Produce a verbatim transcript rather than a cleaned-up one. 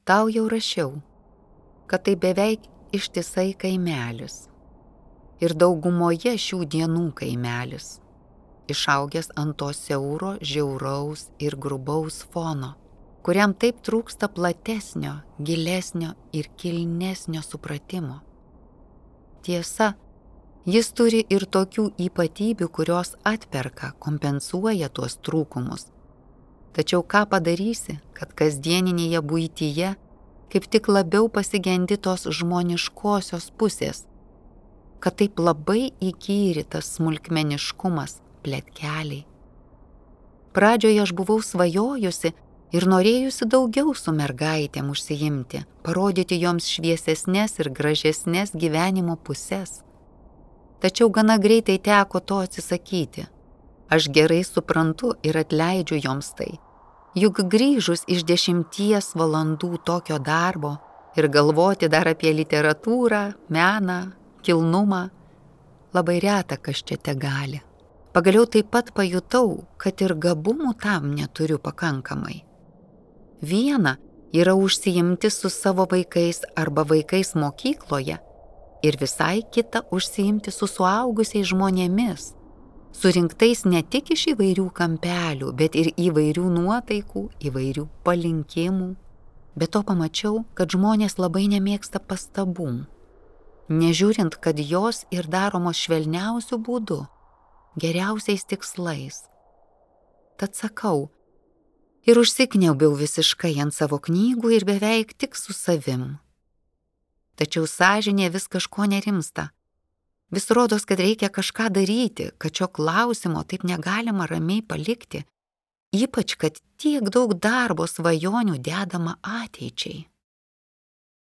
Tau jau rašiau, kad tai beveik ištisai kaimelis. Ir daugumoje šių dienų kaimelis, išaugęs ant to siauro, žiauraus ir grubaus fono, kuriam taip trūksta platesnio, gilesnio ir kilnesnio supratimo. Tiesa, jis turi ir tokių ypatybių, kurios atperka, kompensuoja tuos trūkumus. Tačiau ką padarysi, kad kasdieninėje buityje kaip tik labiau pasigendi tos žmoniškosios pusės, kad taip labai įkyri tas smulkmeniškumas, pletkeliai. Pradžioje aš buvau svajojusi ir norėjusi daugiau su mergaitėm užsiimti, parodyti joms šviesesnės ir gražesnės gyvenimo pusės. Tačiau gana greitai teko to atsisakyti. Aš gerai suprantu ir atleidžiu joms tai. Juk grįžus iš dešimties valandų tokio darbo ir galvoti dar apie literatūrą, meną, kilnumą, labai reta kas čia te gali. Pagaliau taip pat pajutau, kad ir gabumų tam neturiu pakankamai. Viena yra užsiimti su savo vaikais arba vaikais mokykloje ir visai kita užsiimti su suaugusiais žmonėmis, surinktais ne tik iš įvairių kampelių, bet ir įvairių nuotaikų, įvairių palinkimų. Be to pamačiau, kad žmonės labai nemėgsta pastabų, nežiūrint, kad jos ir daromos švelniausių būdų, geriausiais tikslais. Tad sakau, ir užsikniaubiau visiškai ant savo knygų ir beveik tik su savim. Tačiau sąžinė vis kažko nerimsta. Vis rodos, kad reikia kažką daryti, kad šio klausimo taip negalima ramiai palikti, ypač kad tiek daug darbo svajonių dedama ateičiai.